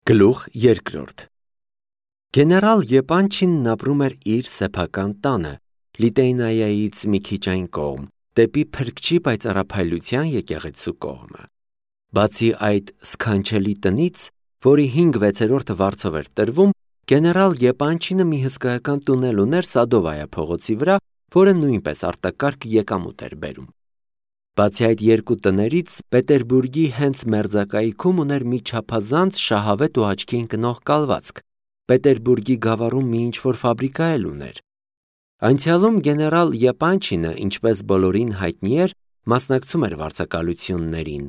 Գլուխ երկրորդ Գեներալ Եպանչինն ապրում էր իր սեփական տանը, Լիտեյնայից մի քիչ այն կողմ, դեպի Փրկչի պայծառափայլության եկեղեցու կողմը։ Բացի այդ սքանչելի տնից, որի 5/6 վարձով էր տրվում, գեներալ Եպանչինը մի հսկայական տունել ուներ Սադովայա փողոցի վրա, որը նույնպես արտակարգ եկամուտ էր բերում։ Բացի այդ երկու տներից, Պետերբուրգի հենց մերձակայքում ուներ մի չափազանց շահավետ ու աչքի ընկնող կալվածք, Պետերբուրգի գավառում մի ինչ-որ ֆաբրիկա էլ ուներ։ Անցյալում գեներալ Եպանչինը, ինչպես բոլորին հայտնի էր, մասնակցում էր վարձակալություններին։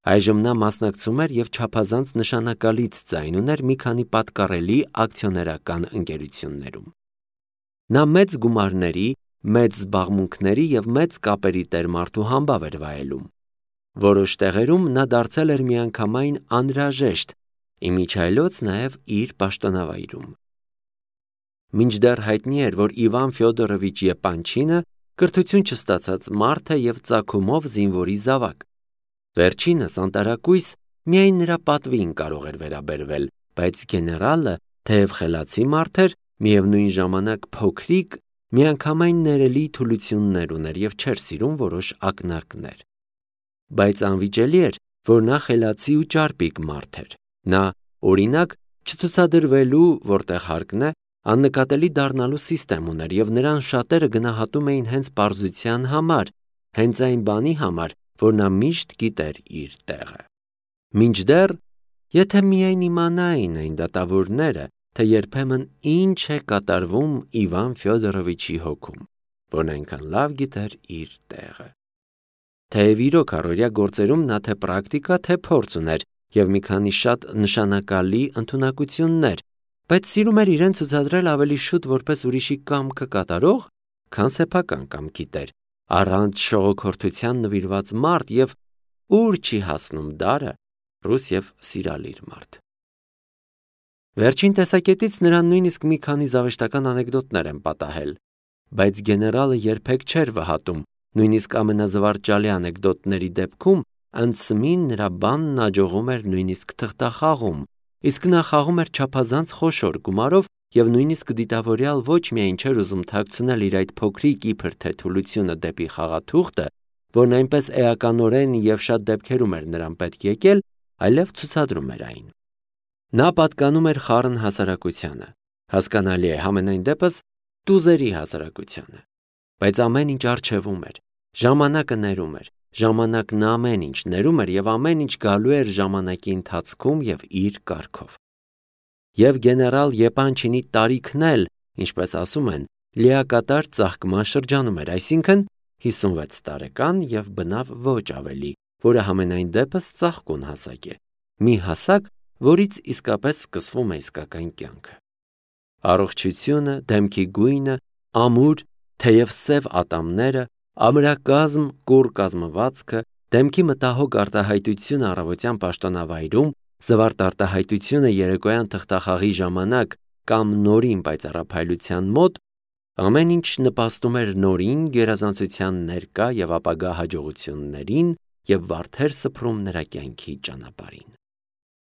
Այժմ նա մասնակցում էր և չափազանց նշանակալից ձայն ուներ մի քանի պատկառելի ակցիոներական ընկերություններում։ Նա մեծ գումարների, մեծ զբաղմունքների և մեծ կապերի տեր-մարդու համբավ էր վայելում։ Որոշ տեղերում նա դարձել էր միանգամայն անհրաժեշտ, իմիջիայլոց նաև իր պաշտոնավայրում։ Մինչդեռ հայտնի էր, որ Իվան Ֆյոդորովիչ Եպանչինը կրթություն չստացած մարդ է և ծագումով զինվորի զավակ։ Վերջինս անտարակույս միայն նրա պատվին կարող էր վերաբերվել, բայց գեներալը, թեև խելացի մարդ էր, միևնույն ժամանակ փոքրիկ, միանգամայն ներելի թուլություններ ուներ և չէր սիրում որոշ ակնարկներ։ Բայց անվիճելի էր, որ նա խելացի ու ճարպիկ մարդ էր։ Նա, օրինակ, չցուցադրվելու, որտեղ հարկն է, աննկատելի դառնալու սիստեմ ուներ և նրան շատերը գնահատում էին հենց պարզության համար, հենց այն բանի համար, որ նա միշտ գիտեր իր տեղը։ Մինչդեռ, եթե միայն իմանային այն դատավորները, թե երբեմն ինչ է կատարվում Իվան Ֆյոդորովիչի հոգում, որն այնքան լավ գիտեր իր տեղը։ Թեև իրոք առօրյա գործերում նա թե պրակտիկա, թե փորձ ուներ և մի քանի շատ նշանակալի ընդունակություններ, բայց սիրում էր իրեն ցուցադրել ավելի շուտ որպես ուրիշի կամքը կատարող, քան սեփական կամքի տեր, առանց շողոքորթության նվիրված մարդ և ուր չի հասնում դարը, ռուս և սիրալիր մարդ։ Վերջին տեսակետից նրան նույնիսկ մի քանի զավեշտական անեկդոտներ են պատահել, բայց գեներալը երբեք չէր վհատում, նույնիսկ ամենազվարճալի անեկդոտների դեպքում անցմին նրա բանն աջողում էր նույնիսկ թղթախաղում, իսկ նա խաղում էր չափազանց խոշոր գումարով և նույնիսկ դիտավորյալ ոչ միայն չէր ուզում թաքցնել իր այդ փոքրիկ իբր թե թուլությունը դեպի խաղաթուղթը, որն այնպես էականորեն և շատ դեպքերում էր նրան պետք եկել, այլև ցուցադրում էր այն։ Նա պատկանում էր խառն հասարակությանը, հասկանալի է, համենայն դեպս տուզերի հասարակությանը, բայց ամեն ինչ առջևում էր, ժամանակը ներում էր, ժամանակն ամեն ինչ ներում էր և ամեն ինչ գալու էր ժամանակի ընթացքում և իր կարգով։ Եվ գեներալ Եպանչինի տարիքն էլ, ինչպես ասում են, լիակատար ծաղկման շրջանում էր, այսինքն 56 տարեկան և բնավ ոչ ավելի, որը համենայն դեպս ծաղկուն հասակ է, մի հասակ, որից իսկապես սկսվում է իսկական կյանքը։ Առողջությունը, դեմքի գույնը, ամուր, թեև սև ատամները, ամրակազմ, կուռ կազմվածքը, դեմքի մտահոգ արտահայտությունը առավոտյան պաշտոնավայրում, զվարթ արտահայտությունը երեկոյան թղթախաղի ժամանակ կամ նորին պայծառափայլության մոտ, ամեն ինչ նպաստում էր նորին գերազանցության ներկա և ապագա հաջողություններին և վարդեր սփռում նրա կյանքի ճանապարհին։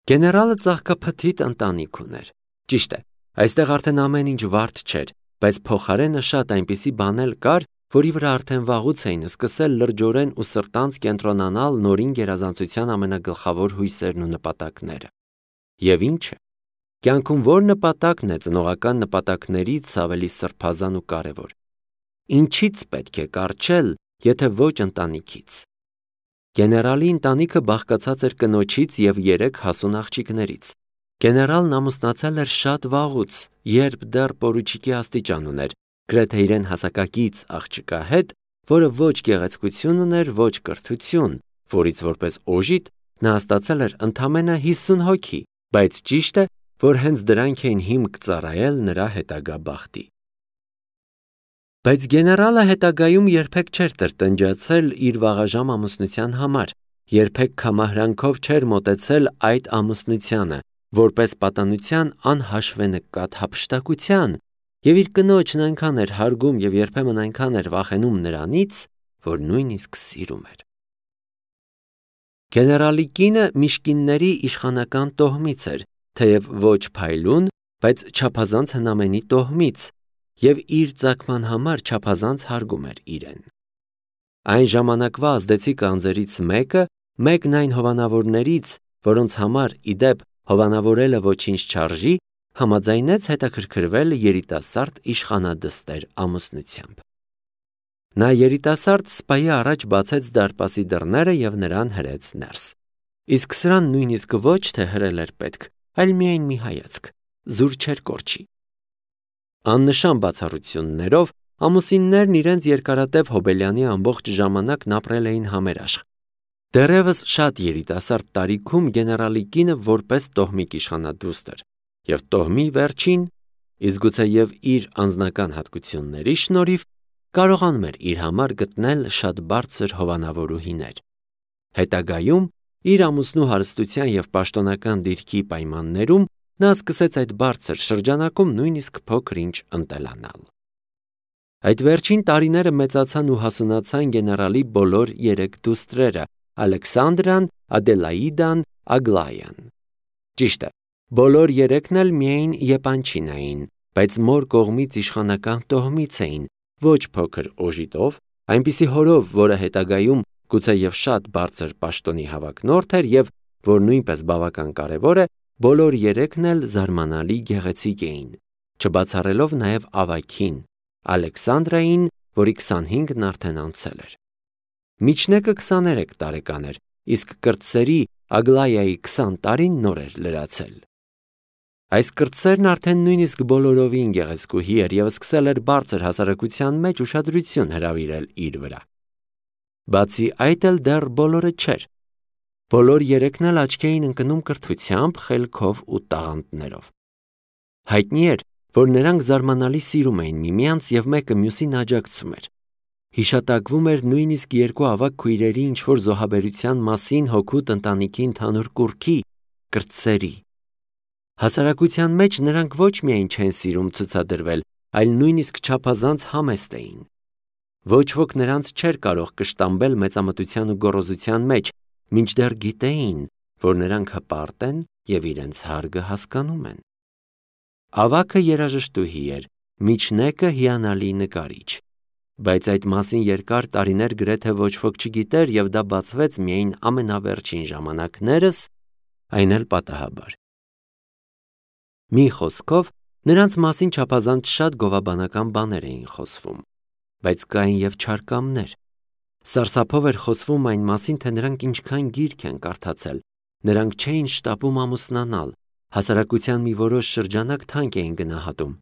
Գեներալը ծաղկափթիթ ընտանիք ուներ։ Ճիշտ է, այստեղ արդեն ամեն ինչ վարդ չէր, բայց փոխարենը շատ այնպիսի բան էլ կար, որի վրա արդեն վաղուց էին սկսել լրջորեն ու սրտանց կենտրոնանալ նորին գերազանցության ամենագլխավոր հույսերն ու նպատակները։ Եվ ինչ է։ Կյանքում ո՞ր նպատակն է ծնողական նպատակներից ավելի սրբազան ու կարևոր։ Ինչից պետք է կառչել, եթե ոչ ընտանիքից։ Գեներալի ընտանիքը բաղկացած էր կնոջից և 3 հասուն աղջիկներից։ Գեներալն ամուսնացել էր շատ վաղուց, երբ դեռ պորուչիկի աստիճան ուներ, գրեթե իրեն հասակակից աղջկա հետ, որը ոչ գեղեցկություն ուներ, ոչ կրթություն, որից որպես օժիտ նա ստացել էր ընդամենը 50 հոգի, բայց ճիշտ է, որ հենց դրանք էին հիմք ծառայել նրա հետագա բախտի։ Բայց գեներալը հետագայում երբեք չէր տրտնջացել իր վաղաժամ ամուսնության համար, երբեք քամահրանքով չէր մոտեցել այդ ամուսնությանը, որպես պատանության անհաշվենկատ հափշտակության, և իր կնոջն այնքան էր հարգում և երբեմն այնքան էր վախենում նրանից, որ նույնիսկ սիրում էր։ Գեներալի կինը Միշկինների իշխանական տոհմից էր, թեև ոչ փայլուն, բայց չափազանց հնամենի տոհմից, և իր ծագման համար չափազանց հարգում էր իրեն։ Այն ժամանակվա ազդեցիկ անձերից մեկը, մեկն այն հովանավորներից, որոնց համար ի դեպ հովանավորելը ոչինչ չարժի, համաձայնեց հետաքրքրվել երիտասարդ իշխանադստեր ամուսնությամբ։ Նա երիտասարդ սպայի առաջ բացեց դարպասի դռները և նրան հրեց ներս։ Իսկ սրան նույնիսկ ոչ թե հրել էր պետք, այլ միայն մի հայացք, զուր չէր կորչի։ Աննշան բացառություններով ամուսիններն իրենց երկարատև հոբելյանի ամբողջ ժամանակն ապրել էին համերաշխ։ Դեռևս շատ երիտասարդ տարիքում գեներալի կինը որպես տոհմիկ իշխանադուստր և տոհմի վերջին, իսկ գուցեև իր անձնական հատկությունների շնորհիվ, կարողանում էր իր համար գտնել շատ բարձր հովանավորուհիներ։ Հետագայում, իր ամուսնու հարստության և պաշտոնական դիրքի պայմաններում, նա սկսեց այդ բարձր շրջանակում նույնիսկ փոքր-ինչ ընտելանալ։ Այդ վերջին տարիները մեծացան ու հասունացան գեներալի բոլոր երեք դուստրերը՝ Ալեքսանդրան, Ադելաիդան, Ագլայան։ Ճիշտ է, բոլոր երեքն էլ միայն եպանչին էին, բայց մոր կողմից իշխանական տոհմից էին, ոչ փոքր օժիտով, այնպիսի հորով, որը հետագայում գուցեև շատ բարձր պաշտոնի հավակնորդ էր և, որ նույնպես բավական կարևոր է, բոլոր երեքն էլ զարմանալի գեղեցիկ էին, չբացառելով նաև ավագին՝ Ալեքսանդրային, որի 25-ն արդեն անցել էր։ Միջնեկը 23 տարեկան էր, իսկ կրտսերի Ագլայայի 20 տարին նոր էր լրացել։ Այս կրտսերն արդեն նույնիսկ բոլորովին գեղեցկուհի էր և սկսել էր բարձր հասարակության մեջ ուշադրություն հրավիրել իր վրա։ Բացի այդ էլ դեռ բոլորը չէր։ Բոլոր երեքն էլ աչքի էին ընկնում կրթությամբ, խելքով ու տաղանդներով։ Հայտնի էր, որ նրանք զարմանալի սիրում էին միմյանց և մեկը մյուսին աջակցում էր։ Հիշատակվում էր նույնիսկ երկու ավագ քույրերի ինչ-որ զոհաբերության մասին հօգուտ ընտանիքի ընդհանուր կուռքի՝ կրտսերի։ Հասարակության մեջ նրանք ոչ միայն չեն սիրում ցուցադրվել, այլ նույնիսկ չափազանց համեստ էին։ Ոչ ոք նրանց չէր կարող կշտամբել մեծամտության ու գոռոզության մեջ, մինչդեռ գիտեին, որ նրանք հպարտ են և իրենց հարգը հասկանում են։ Ավագը երաժշտուհի էր, միջնեկը հիանալի նկարիչ, բայց այդ մասին երկար տարիներ գրեթե ոչ ոք չգիտեր և դա բացվեց միայն ամենավերջին ժամանակներս, այն էլ պատահաբար։ Մի խոսքով, նրանց մասին չափազանց շատ գովաբանական բաներ էին խոսվում, բայց կային և չարկամներ։ Սարսափով էր խոսվում այն մասին, թե նրանք ինչքան գիրք են կարդացել, նրանք չէին շտապում ամուսնանալ, հասարակության մի որոշ շրջանակ թանկ էին գնահատում,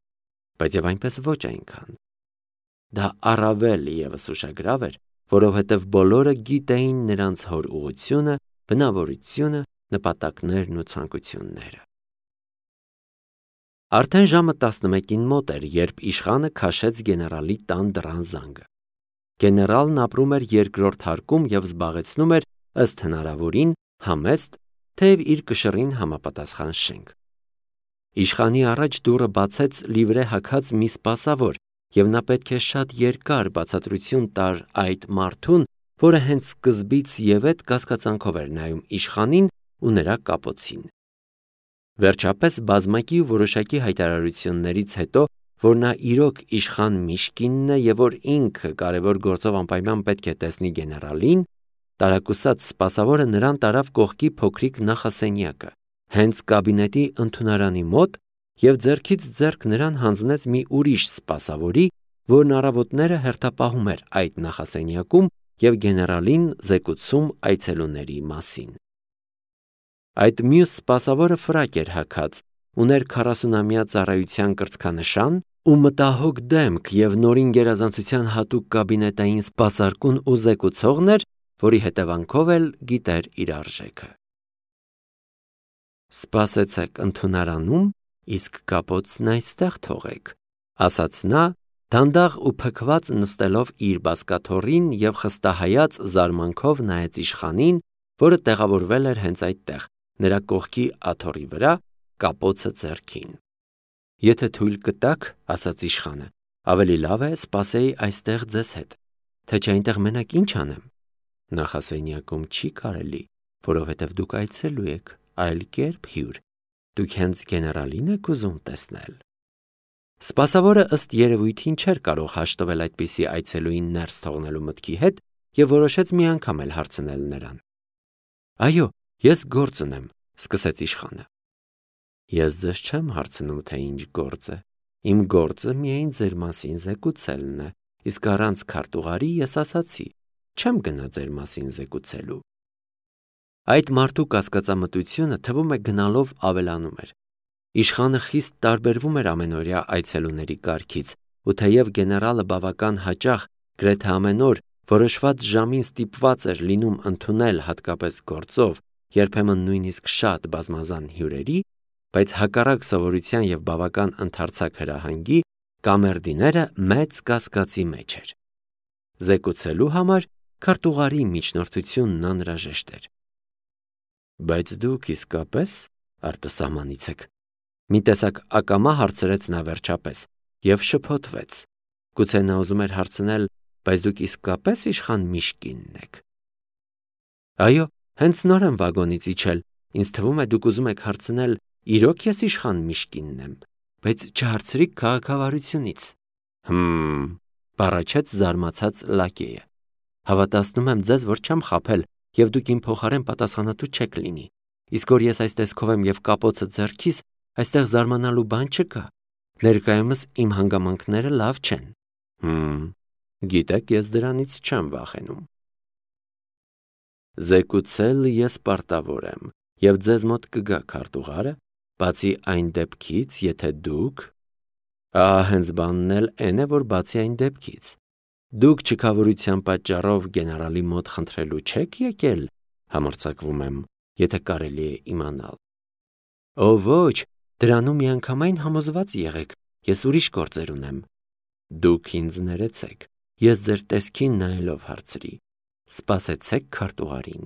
բայց և այնպես ոչ այնքան։ Դա առավել ևս ուշագրավ էր, որովհետև բոլորը գիտեին նրանց հոր ուղղությունը, բնավորությունը, նպատակներն ու ցանկությունները։ Արդեն ժամը 11-ին մոտ էր, երբ իշխանը քաշեց գեներալի տան դռան զանգը։ Գեներալն ապրում էր երկրորդ հարկում և զբաղեցնում էր ըստ հնարավորին համեստ, թեև իր կշռին համապատասխան շենք։ Իշխանի առաջ դուռը բացեց լիվրե հագած մի սպասավոր, և նա պետք է շատ երկար բացատրություն տար այդ մարդուն, որը հենց սկզբից ևեթ կասկածանքով էր նայում իշխանին ու նրա կապոցին։ Վերջապես բազմակի ու որոշակի հայտարարություններից հետո, որ նա իրոք իշխան Միշկինն է և որ ինքը կարևոր գործով անպայման պետք է տեսնի գեներալին, տարակուսած սպասավորը նրան տարավ կողքի փոքրիկ նախասենյակը, հենց կաբինետի ընդունարանի մոտ և ձեռքից ձեռք նրան հանձնեց մի ուրիշ սպասավորի, որն առավոտները հերթապահում էր այդ նախասենյակում և գեներալին զեկուցում այցելուների մասին։ Այդ մյուս սպասավորը ֆրակ էր հագած, ուներ 40-ամյա ծառայության կրծքանշան ու մտահոգ դեմք և նորին գերազանցության հատուկ կաբինետային սպասարկուն ու զեկուցողն էր, որի հետևանքով էլ գիտեր իր արժեքը։ «Սպասեցեք ընդունարանում, իսկ կապոցն այստեղ թողեք», ասաց նա, դանդաղ ու փքված նստելով իր բազկաթոռին և խստահայաց զարմանքով նայեց իշխանին, որը տեղավորվել էր հենց այդտեղ, նրա կողքի աթոռի վրա, կապոցը ձեռքին։ «Եթե թույլ կտաք, — ասաց իշխանը, — ավելի լավ է սպասեի այստեղ ձեզ հետ, թե չէ այնտեղ մենակ ինչ անեմ։ Նախասենյակում չի կարելի, որովհետև դուք այցելու եք, այլ կերպ հյուր, Դուք հենց գեներալին եք ուզում տեսնել։ Սպասավորը ըստ երևույթին չէր կարող հաշտվել այդպիսի այցելուին ներս թողնելու մտքի հետ և որոշեց մի անգամ էլ հարցնել նրան։ Այո, ես գործ ունեմ, սկսեց իշխանը։ Ես ձեզ չեմ հարցնում, թե ինչ գործ է։ Իմ գործը միայն ձեր մասին զեկուցելն է, իսկ առանց քարտուղարի ես ասացի, չեմ գնա ձեր մասին զեկուցելու։ Այդ մարդու կասկածամտությունը թվում է գնալով ավելանում էր։ Իշխանը խիստ տարբերվում էր ամենօրյա այցելուների կարգից, ու թեև գեներալը բավական հաճախ, գրեթե ամեն օր, որոշված ժամին ստիպված էր լինում ընդունել հատկապես գործով, երբեմն նույնիսկ շատ բազմազան հյուրերի, բայց հակառակ սովորության և բավական ընդարձակ հրահանգի, կամերդիները մեծ կասկածի մեջ էր։ Զեկուցելու համար քարտուղարի միջնորդությունն անհրաժեշտ էր։ Բայց դուք իսկապես արտասահմանից եք։ Մի տեսակ ակամա հարցրեց նա վերջապես և շփոթվեց։ Գուցե նա ուզում էր հարցնել, բայց դուք իսկապես իշխան Միշկինն եք։ Այո, հենց նոր եմ վագոնից իջել, ինձ թվում է դուք ուզում եք հարցնել, իրոք ես իշխան Միշկինն եմ, բայց չհարցրիք քաղաքավարությունից։ Բառաչեց զարմացած լակեյը։ Հավատացնում եմ ձեզ, որ չեմ խաբել, և դուք իմ փոխարեն պատասխանատու չեք լինի։ Իսկ որ ես այս տեսքով եմ և կապոցը ձեռքիս, այստեղ զարմանալու բան չկա։ Ներկայումս իմ հանգամանքները լավ չեն։ Գիտեք, ես դրանից չեմ վախենում։ Զեկուցել ես պարտավոր եմ, և ձեզ մոտ կգա քարտուղարը, բացի այն դեպքից, եթե դուք… Հենց բանն էլ էն է, որ բացի այն դեպքից։ Դուք չքավորության պատճառով գեներալի մոտ խնդրելու չեք եկել, համարձակվում եմ, եթե կարելի է իմանալ։ Ոչ, դրանում միանգամայն համոզված եղեք, ես ուրիշ գործեր ունեմ։ Դուք ինձ ներեցեք, ես ձեր տեսքին նայելով հարցրի։ Սպասեցեք քարտուղարին։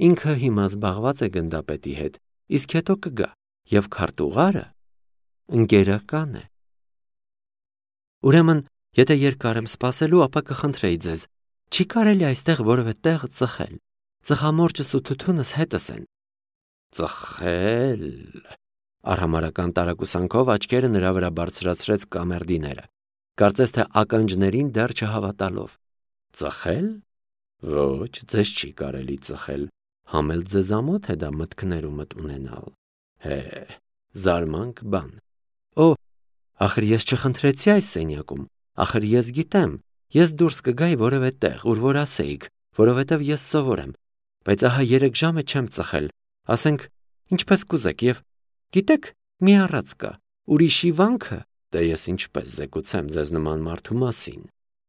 Ինքը հիմա զբաղված է գնդապետի հետ, իսկ հետո կգա, և քարտուղարը ընկերական է։ Ուրեմն, եթե երկար եմ սպասելու, ապա կխնդրեի ձեզ, չի կարելի այստեղ որևէ տեղ ծխել։ Ծխամորճս ու թութունս հետս են։ Ծխել… Արհամարհական տարակուսանքով աչքերը նրա վրա բարձրացրեց կամերդիները, կարծես թե ականջներին դեռ չհավատալով։ Ծխել… Ոչ, ձեզ չի կարելի ծխել, համ էլ ձեզամոթ է դա մտքներումդ ունենալ։ Զարմանք բան։ Ախր ես չխնդրեցի այս սենյակում, ախր ես գիտեմ, ես դուրս կգայի որևէ տեղ, ուր որ ասեիք, որովհետև ես սովոր եմ, բայց ահա 3 ժամ է չեմ ծխել, ասենք, ինչպես կուզեք, և գիտեք, մի առած կա, ուրիշի վանքը, դե ես ինչպես զեկուցեմ ձեզ նման մարդու մասին,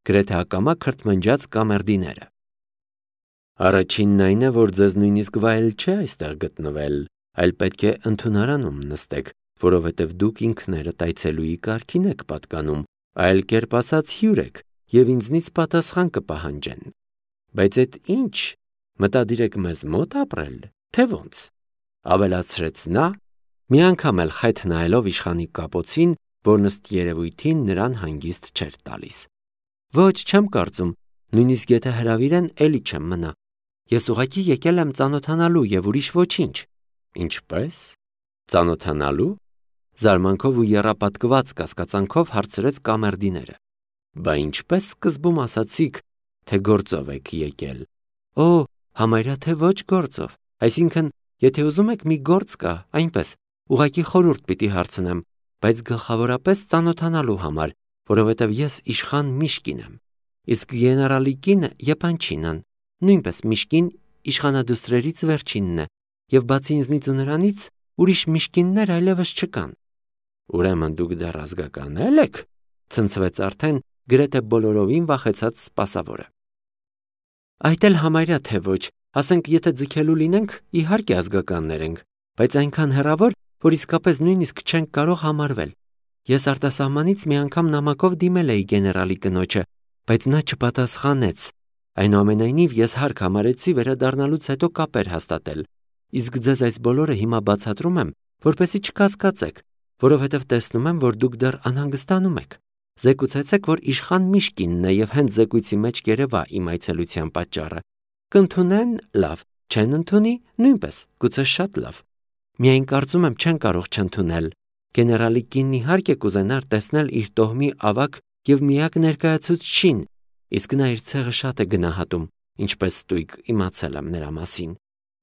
գրեթե ակամա քրթմնջաց կամերդիները։ Առաջինն այն է, որ ձեզ նույնիսկ վայել չէ այստեղ գտնվել, այլ պետք է ընդունարանում նստեք, որովհետև դուք ինքներդ այցելուի կարգին եք պատկանում, այլ կերպ ասած հյուր եք, և ինձնից պատասխան կպահանջեն։ Բայց այդ ինչ, մտադիր եք մեզ մոտ ապրել, թե ոնց, ավելացրեց նա, մի անգամ էլ խեթ նայելով իշխանի կապոցին, որն ըստ երևույթին նրան հանգիստ չէր տալիս։ Ոչ, չեմ կարծում, նույնիսկ եթե հրավիրեն, էլի չեմ մնա։ Ես ուղղակի եկել եմ ծանոթանալու և ուրիշ ոչինչ։ Ինչպե՞ս։ Ծանոթանալու։ Զարմանքով ու եռապատկված կասկածանքով հարցրեց կամերդիները։ Բա ինչպես սկզբում ասացիք, թե գործով եք եկել։ Համարյա թե ոչ գործով, այսինքն, եթե ուզում եք մի գործ կա, այնպես, ուղղակի խորհուրդ պիտի հարցնեմ, բայց գլխավորապես ծանոթանալու համար, որովհետև ես իշխան Միշկին եմ, իսկ գեներալի կինը Եփանչինան, նույնպես Միշկին իշխանադուստրերից վերջինն է, և բացի ինձնից ու նրանից, ուրիշ Միշկիններ այլևս չկան։ Ուրեմն դուք դեռ ազգականել եք, ցնցվեց արդեն գրեթե բոլորովին վախեցած սպասավորը։ Այդ էլ համարյա թե ոչ, ասենք եթե ձգելու լինենք, իհարկե ազգականներ ենք, բայց այնքան հեռավոր, որ իսկապես նույնիսկ չենք կարող համարվել։ Ես արտասահմանից մի անգամ նամակով դիմել էի գեներալի կնոջը, բայց նա չպատասխանեց։ Այնուամենայնիվ ես հարկ համարեցի վերադառնալուց հետո կապեր հաստատել, իսկ ձեզ այս բոլորը հիմա բացատրում եմ, որպեսզի չկասկածեք, որովհետև տեսնում եմ, որ դուք դեռ անհանգստանում եք։ Զեկուցեցեք, որ իշխան Միշկինն է և հենց զեկույցի մեջ կերևա իմ այցելության պատճառը։ Կընդունեն, լավ, չեն ընդունի, նույնպես, գուցե շատ լավ։ Միայն կարծում եմ չեն կարող չընդունել։ Գեներալի կինն իհարկե կուզենար տեսնել իր տոհմի ավագ եւ միակ ներկայացուցչին, իսկ նա իր ցեղը շատ է գնահատում, ինչպես ստույգ իմացել եմ նրա մասին։